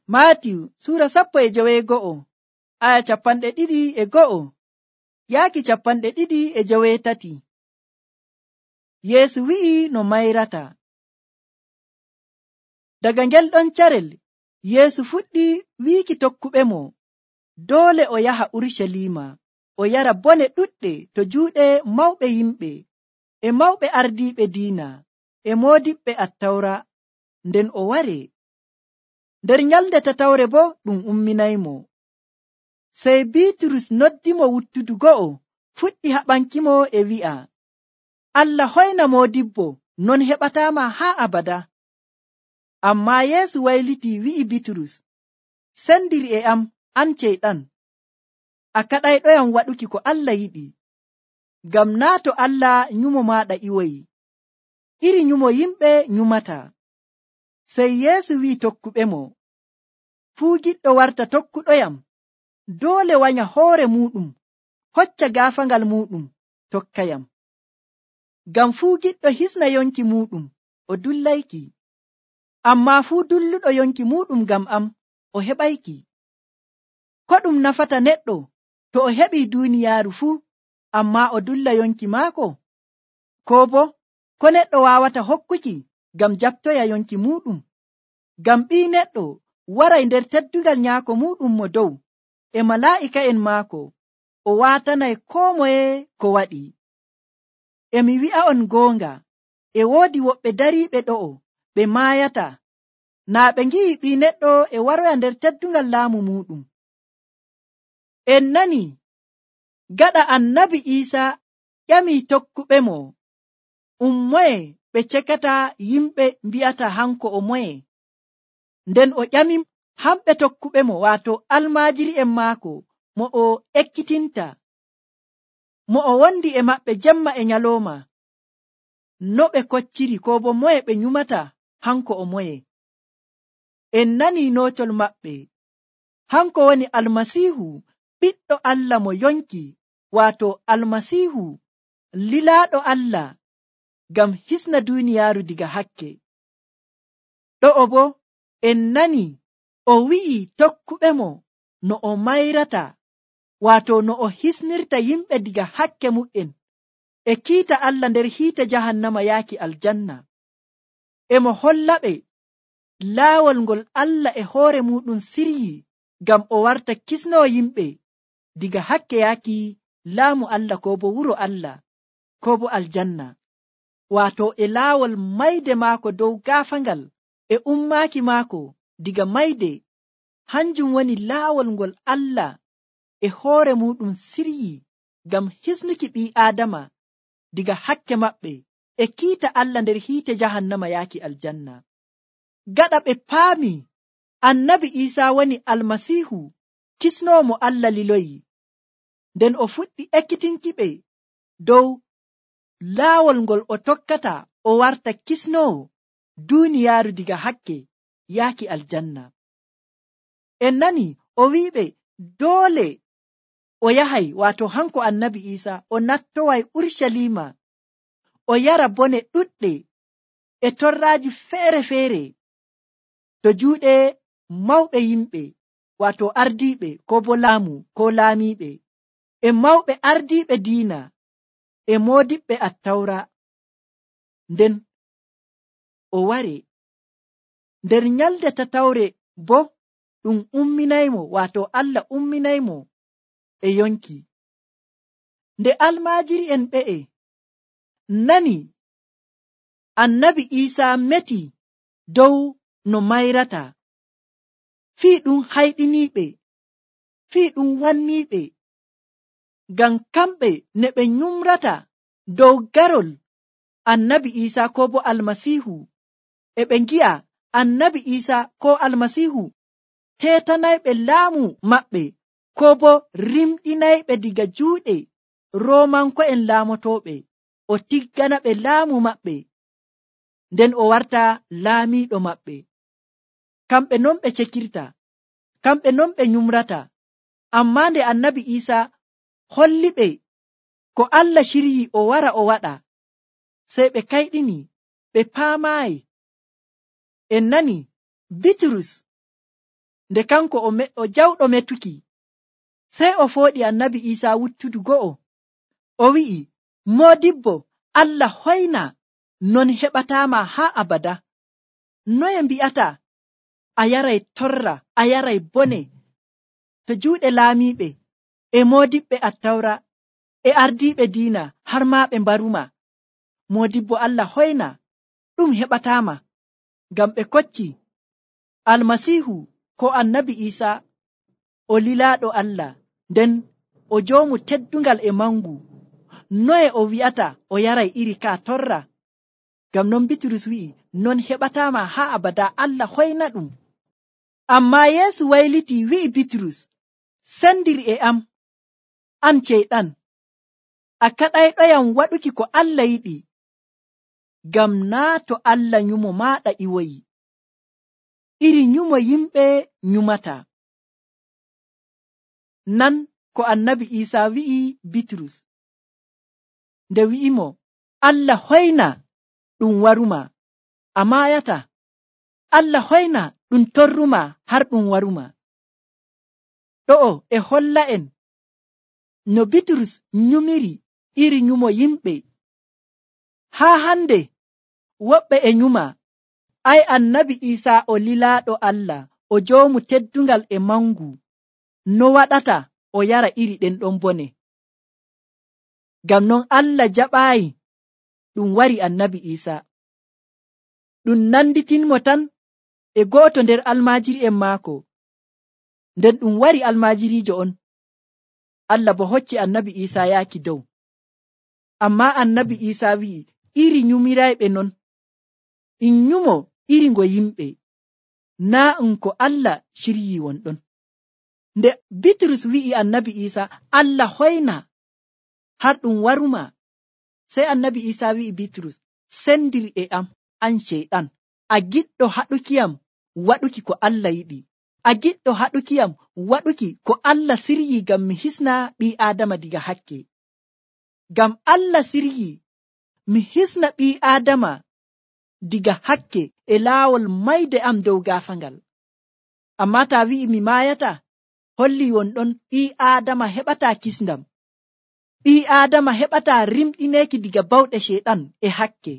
Maatiyu sura 12 aya 22 yaaki 23. Yeesu wi'i no mayrata. Daga ngel ɗon carel Yeesu fuɗɗi wiiki tokkuɓemo doole o yaha Urucaliima o yara bone ɗuɗɗe to juuɗe mawɓe yimɓe e mawɓe ardiiɓe diina e moodiɓɓe Attawra nden o ware. Nder nyalnde tatawre bo ɗum umminaymo. Sey Biiturus noddimo wuttudu go'o fuɗɗi haɓankimo e wi'a, Allah hoyna moodibbo, non heɓataama haa abada. Ammaa Yeesu wayliti wi'i Biiturus, sendir e am, an ceyɗan. A kaɗayɗoyam waɗuki ko Allah yiɗi, ngam naa to Allah nyumo maaɗa iwoyi, iri nyumo yimɓe nyumata. Sey Yeesu wi'i tokkuɓemo, fuu giɗɗo warta tokkuɗoyam doole wanya hoore muɗum, hocca gaafaangal muɗum, tokkayam. Ngam fuu giɗɗo hisna yonki muɗum o dullayki, ammaa fuu dulluɗo yonki muɗum ngam am o heɓayki. Ko ɗum nafata neɗɗo to o heɓii duuniyaaru fuu ammaa o dulla yonki maako? Koo boo ko neɗɗo waawata hokkuki ngam jaɓtoya yonki muɗum? Ngam Ɓii Neɗɗo waray nder teddugal nyaako muɗum mo dow e malaa'ika'en maako, o waatanay koo moye ko waɗi. E mi wi'a'on goonga, e woodi woɓɓe dariiɓe ɗo'o ɓe maayata naa ɓe ngi'i Ɓii Neɗɗo e waroya nder teddungal laamu muɗum. En nani gaɗa Annabi Iisaa ƴamii tokkuɓemo, moye ɓe cekata yimɓe mbi'ata hanko o moye? Nden o ƴami hamɓe tokkuɓemo, waato almaajiri'en maako mo o ekkitinta, mo o wondi e maɓɓe jemma e nyalooma, no ɓe kocciri koo bo moye ɓe nyumata hanko o moye. En nanii nootol maɓɓe, hanko woni Almasiihu, ɓiɗɗo Allah mo yonki, waato Almasiihu lilaaɗo Allah ngam hisna duuniyaaru diga hakke. Ɗo'o bo en nani o wi'i tokkuɓemo no o mayrata, waato no o hisnirta yimɓe diga hakke mu'en e kiita Allah nder hiite jahannama yaaki aljanna. E mo hollaɓe laawol ngol Allah e hoore muɗum siryi ngam o warta kisnoo yimɓe diga hakke yaaki laamu Allah koo bo wuro Allah koo bo aljanna, waato e laawol mayde maako dow gaafaangal e ummaaki maako diga mayde. Hanjum woni laawol ngol Allah e hoore muɗum siryi ngam hisnuki ɓii Aadama diga hakke maɓɓe e kiita Allah nder hiite jahannama yaaki aljanna. Gaɗa ɓe paami Annabi Iisaa woni Almasiihu kisnoowo mo Allah liloyi, nden o fuɗɗi ekkitinkiɓe dow laawol ngol o tokkata o warta kisnoowo duuniyaaru diga hakke yaaki aljanna. En nani o wi'iɓe doole o yahay, waato hanko Annabi Iisaa o nattoway Urucaliima o yara bone ɗuɗɗe e torraaji feere-feere to juuɗe mawɓe yimɓe, waato ardiiɓe koo bo laamu koo laamiiɓe e mawɓe ardiiɓe diina e moodiɓɓe Attawra. Nden o ware nder nyalde tatawre bo ɗum umminaymo, waato Allah umminaymo e yonki. Nde almaajiri'en ɓe'e nani Annabi Iisaa meti dow no mayrata, fii ɗum hayɗiniiɓe, fii ɗum wanniiɓe, ngam kamɓe ne ɓe nyumrata dow garol Annabi Iisaa koo bo Almasiihu, e ɓe ngi'a Annabi Iisaa koo Almasiihu teetanayɓe laamu maɓɓe koo bo rimɗinayɓe diga juuɗe Roomanko'en laamotooɓe, o tiggana ɓe laamu maɓɓe, nden o warta laamiiɗo maɓɓe. Kamɓe non ɓe cekirta, kamɓe non ɓe nyumrata, ammaa nde Annabi Iisaa holliɓe ko Allah shiryi o wara o waɗa, sey ɓe kayɗini, ɓe paamaayi. En nani Bitrus nde kanko o jawɗo metuki, sey o fooɗi annabi Iisaa wuttudu go'o. O wi'i, Moodibbo, Allah hoyna, non heɓataama haa abada. Noye mbi'ata a yaray torra, a yaray bone to juuɗe laamiiɓe e moodiɓɓe Attawra e ardiiɓe diina har maa ɓe mbaruma? Moodibbo Allah hoyna, ɗum heɓataama, ngam ɓe kocci Almasiihu ko annabi Iisaa o lilaaɗo Allah, nden o joomu teddungal e mangu. Noye o wi'ata o yaray iri ka torra? Ngam non Bitrus wi'i, non heɓataama haa abada, Allah hoyna ɗum. Ammaa Yeesu wayliti wi'i Bitrus, sendir e am, an ceyɗan, a kaɗayɗoyam waɗuki ko Allah yiɗi, ngam naa to Allah nyumo maaɗa iwoyi, iri nyumo yimɓe nyumata. Nan ko annabi Iisaa wi'i Bitrus nde wi'imo, Allah hoyna ɗum waruma, a maayata. Allah hoyna ɗum torruma har ɗum waruma. Ɗo'o e holla en no Bitrus nyumiri iri nyumo yimɓe. Haa hande woɓɓe e nyuma, ay annabi Iisaa o lilaaɗo Allah, o joomu teddungal e mangu, no waɗata o yara iri ɗen ɗon bone? Ngam non Allah jaɓaayi ɗum wari annabi Iisaa. Ɗum nanditinmo tan e go'oto nder almaajiri'en maako. Nden ɗum wari almaajiriijo on, Allah bo hocci annabi Iisaa yaaki dow. Ammaa annabi Iisaa wi'i, iri nyumirayɓe non, in nyumo iri ngo yimɓe, naa ko Allah ciryii wonɗon. Nde Bitrus wi'i annabi Iisaa, Allah hoyna har ɗum waruma, sey annabi Iisaa wi'i Bitrus, sendir e am, an ceyɗan, a giɗɗo haɗukiyam waɗuki ko Allah yiɗi, a giɗɗo haɗukiyam waɗuki ko Allah siryii ngam mi hisna ɓii Aadama diga hakke. Ngam Allah siryii mi hisna ɓii Aadama diga hakke e laawol mayde am dow gaafangal. Ammaa taa wi'i mi maayata, holli wonɗon ɓii Aadama heɓataa kisndam, ɓii Aadama heɓataa rimɗineeki diga bawɗe Ceyɗan e hakke,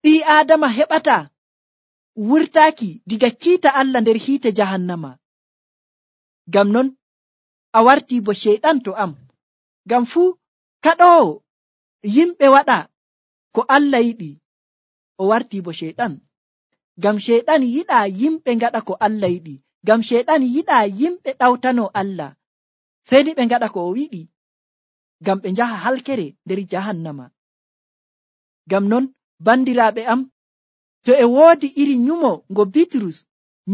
ɓii Aadama heɓataa wurtaaki diga kiita Allah nder hiite jahannama. Ngam non a wartii bo Ceyɗan to am, ngam fuu kaɗoowo yimɓe waɗa ko Allah yiɗi, o wartii bo Ceyɗan. Ngam Ceyɗan yiɗaa yimɓe ngaɗa ko Allah yiɗi, ngam Ceyɗan yiɗaa yimɓe ɗawtanoo Allah, sey ni ɓe ngaɗa ko o yiɗi, ngam ɓe njaha halkere nder jahannama. Ngam non bandiraaɓe am, to e woodi iri nyumo ngo Bitrus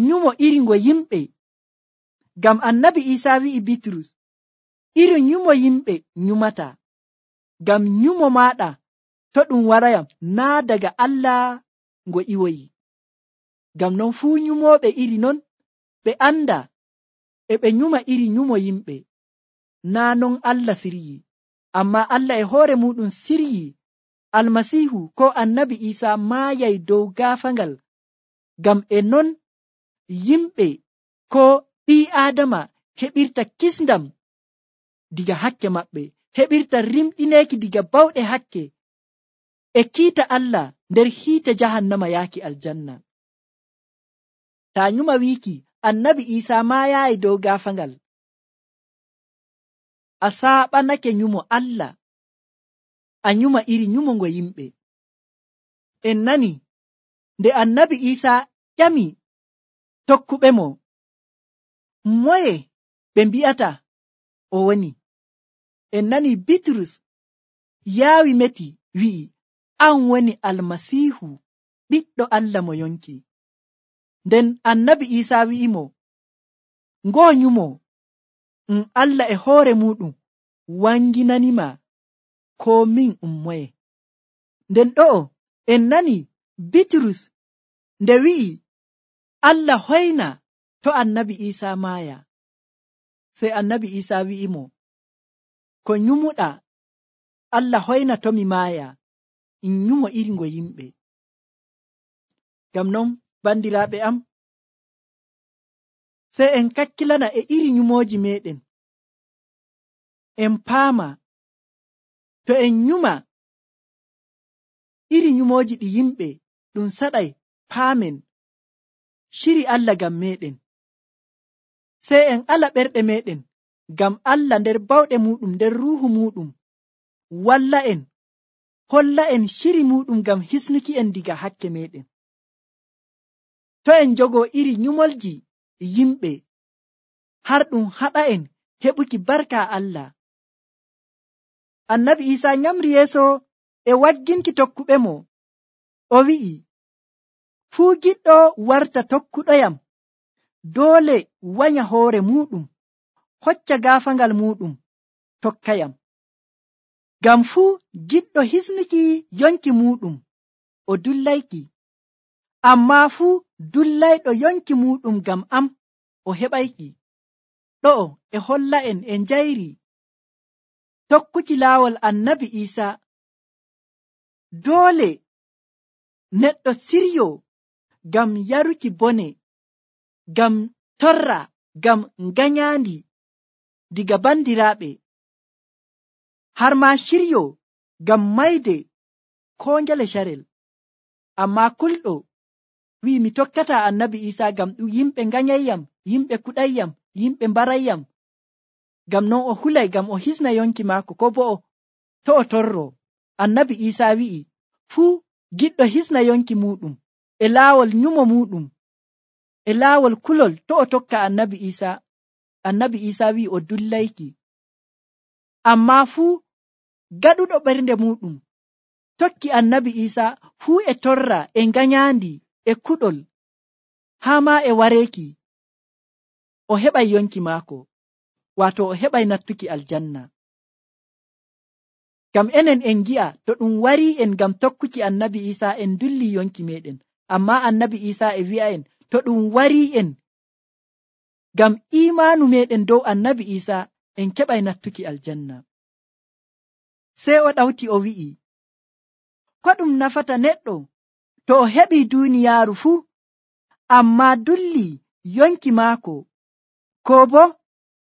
nyumo iri ngo yimɓe, ngam annabi Iisaa wi'i Bitrus, iri nyumo yimɓe nyumata, ngam nyumo maaɗa to ɗum warayam naa daga Allah ngo iwoyi. Ngam non fuu nyumooɓe iri non ɓe anda e ɓe nyuma iri nyumo yimɓe, naa non Allah siryii, ammaa Allah e hoore muɗum siryii Almasiihu ko annabi Iisaa maayay dow gaafangal, ngam e non yimɓe ko ɓii Aadama heɓirta kisndam diga hakke maɓɓe, heɓirta rimɗineeki diga bawɗe hakke e kiita Allah nder hiite jahannama yaaki aljanna. Taa nyuma wiiki annabi Iisaa maayaayi dow gaafangal, a saaɓanake nyumo Allah, a nyuma iri nyumo ngo yimɓe. En nani nde annabi Iisaa ƴami tokkuɓe mo, moye ɓe mbi'ata o woni? En nani Bitrus yaawi meti wi'i, an woni Almasiihu, ɓiɗɗo Allah mo yonki. Nden annabi Iisaa wi'imo, ngoo nyumo Allah e hoore muɗum wanginanima ko min moye. Nden ɗo'o en nani Bitrus nde wi'i Allah hoyna to annabi Iisaa maaya, sey annabi Iisaa wi'imo, ko nyumuɗa Allah hoyna to mi maaya, in nyumo iri ngo yimɓe. Ngam non bandiraaɓe am, Sey en kakkilana e iri nyumooji meɗen. En paama to en nyuma iri nyumooji ɗi yimɓe ɗum saɗay paamen shiri Allah ngam meɗen. Sey en ala ɓerɗe meɗen ngam Allah nder bawɗe muɗum nder ruuhu muɗum walla en holla en shiri muɗum ngam hisnuki en diga hakke meɗen. To en jogoo iri nyumolji yimɓe har ɗum haɗa en heɓuki barka Allah. Annabi Iisaa nyamri yeeso e wagginki tokkuɓe mo, o wi'i, fuu giɗɗo warta tokkuɗoyam doole wanya hoore muɗum, hocca gaafaangal muɗum, tokkayam. Ngam fuu giɗɗo hisnuki yonki muɗum o dullayki, ammaa fuu dullayɗo yonki muɗum ngam am o heɓayki. Ɗo'o e holla en e njayri tokkuki laawol Annabi Iisaa. Doole neɗɗo siryo ngam yaruki bone, ngam torra, ngam nganyandi diga bandiraaɓe, har ma shiryo ngam mayde koo ngele carel. Ammaa kulɗo wi'i mi tokkata Annabi Iisaa ngam ɗum yimɓe nganyayyam, yimɓe kuɗayyam, yimɓe mbarayyam. Ngam non o hulay ngam o hisna yonki maako, ko bo to o torro. Annabi Iisaa wi'i fuu giɗɗo hisna yonki muɗum e laawol nyumo muɗum, e laawol kulol to o tokka Annabi Iisaa. Annabi Iisaa wi'i o dullayki. Ammaa fuu gaɗuɗo ɓernde muɗum tokki Annabi Iisaa fuu e torra e nganyandi e kuɗol haa ma e wareeki o heɓay yonki maako, waato o heɓay nattuki aljanna. Ngam enen en gi'a to ɗum warii en ngam tokkuki Annabi Iisaa en dulli yonki meɗen, ammaa Annabi Iisaa e wi'a en to ɗum warii en ngam iimaanu meɗen dow Annabi Iisaa en keɓay nattuki aljanna. Sey o ɗawti o wi'i, ko ɗum nafata neɗɗo to o heɓii duuniyaaru fuu ammaa dulli yonki maako, ko bo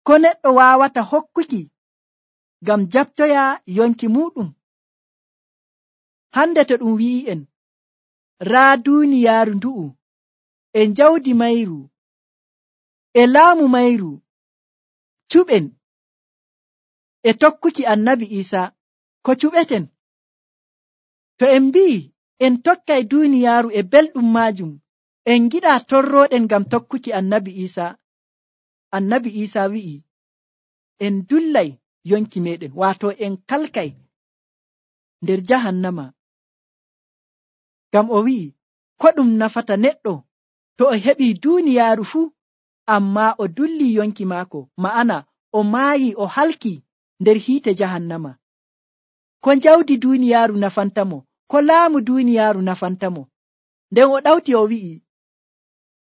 ko neɗɗo waawata hokkuki ngam jabtoya yonki muɗum? Hande to ɗum wi'i'en raa duuniyaaru ndu'u e jawdi mayru e laamu mayru cuɓen e tokkuki Annabi Iisaa, ko cuɓeten? To en mbi'i en tokkay duuniyaaru e belɗum maajum, en giɗaa torrooɗen ngam tokkuki Annabi Iisaa. Annabi Iisaa wi'i en dullay yonki meɗen, waato en kalkay nder jahannama. Ngam o wi'i ko ɗum nafata neɗɗo to o heɓii duuniyaaru fuu ammaa o dulli yonki maako, ma'ana o maayi o halki nder hiite jahannama. Ko jawdi duuniyaaru nafantamo, ko laamu duuniyaaru nafantamo? Nden o ɗawti o wi'i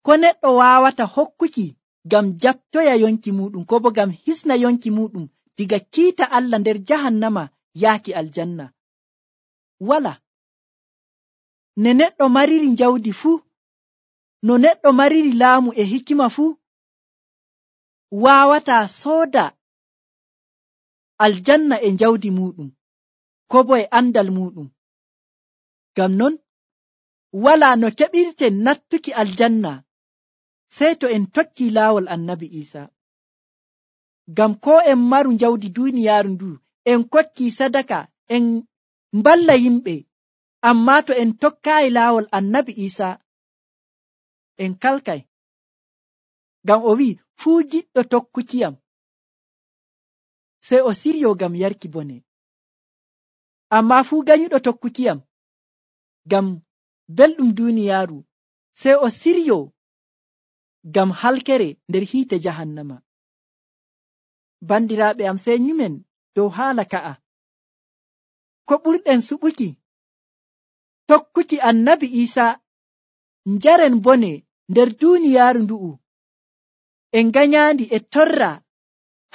ko neɗɗo waawata hokkuki ngam jabtoya yonki muɗum, ko bo ngam hisna yonki muɗum diga kiita Allah nder jahannama yaaki aljanna? Wala. Ne neɗɗo mariri jawdi fuu, no neɗɗo mariri laamu e hikima fuu, waawataa sooda aljanna e jawdi muɗum, ko bo e andal muɗum. Ngam non wala no keɓirten nattuki aljanna sey to en tokki laawol Annabi Iisaa. Ngam ko en maru jawdi duuniyaaru ndu, en kokki sadaka, en mballa yimɓe, ammaa to en tokkaayi laawol Annabi Iisaa en kalkay. Ngam o wi'i fuu giɗɗo tokkukiyam sey o siryo ngam yarki bone, ammaa fuu ganyuɗo tokkukiyam ngam belɗum duuniyaaru sey o siryo ngam halkere nder hiite jahannama. Bandiraaɓe am, sey nyumen dow haala ka'a. Ko ɓurɗen suɓuki tokkuki Annabi Iisaa njaren bone nder duuniyaaru ndu'u, e nganyandi e torra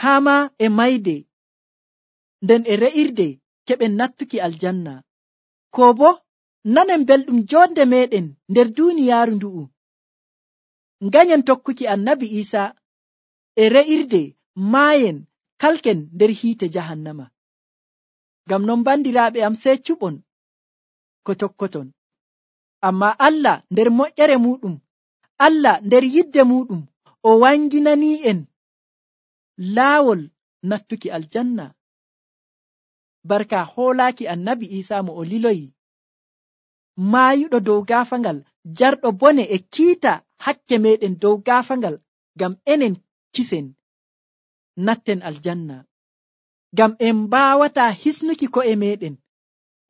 haa ma e mayde, nden e re'irde keɓen nattuki aljanna, ko bo nanen belɗum jonde meɗen nder duuniyaaru ndu'u. Nganyen tokkuki annabi Isa e re'irde maayen kalken nder hiite jahannama. Ngam non bandiraaɓe am, sey cuɓon ko tokkoton. Amma Allah nder moƴƴere muɗum, Allah nder yidde muɗum, o wanginani'en laawol nattuki aljanna barka hoolaaki annabi Isa mo o liloyi, maayuɗo dow gaafangal, jarɗo bone e kiita hakke meɗen dow gaafangal, ngam enen kisen natten aljanna. Ngam en mbaawata hisnuki ko'e meɗen,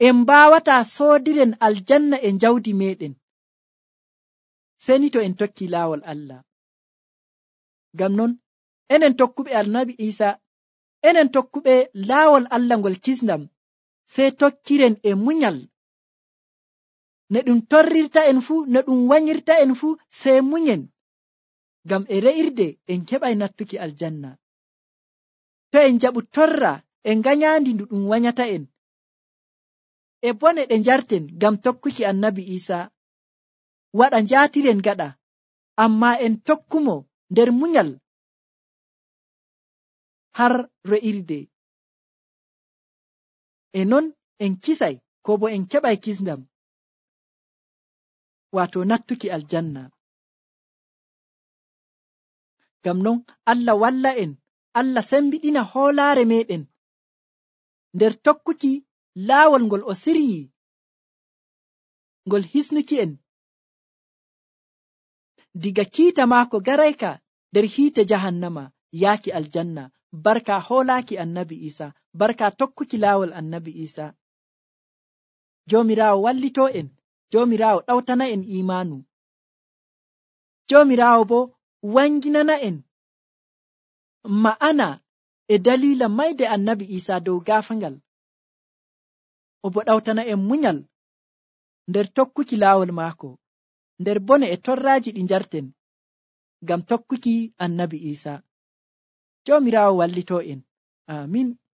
en mbaawata soodiren aljanna e jawdi meɗen, seni to en tokki laawol Allah. Ngam non enen tokkuɓe annabi Isa, enen tokkuɓe laawol Allah ngol kisndam, sey tokkiren e munyal. Ne ɗum torrirta en fuu, ne ɗum wanyirta en fuu, sey munyen, ngam e re'irde en keɓay nattuki aljanna. To en jaɓu torra e nganyandi ndu ɗum wanyata en, e bone ɗe njarten ngam tokkuki annabi Isa, waɗa njaatiren gaɗa, amma en tokkumo nder munyal har re'irde. E non en kisay, ko bo en keɓay kisndam, wato nattuki aljanna. Ngam non Allah walla en, Allah sembiɗina hoolaare meɗen nder tokkuki laawol ngol o siryi, ngol hisnuki en diga kiita maako garayka nder hiite jahannama yaaki aljanna, barka hoolaaki annabi Isa, barka tokkuki laawol annabi Isa. Joomiraawo wallito en, Joomiraawo ɗawtana en imaanu, Joomiraawo bo wanginana en ma'ana e dalila mayde annabi Isa dow gaafangal, o bo ɗawtana en munyal nder tokkuki laawol maako, nder bone e torraaji ɗi njarten ngam tokkuki annabi Isa. Joomiraawo wallito en. Amin.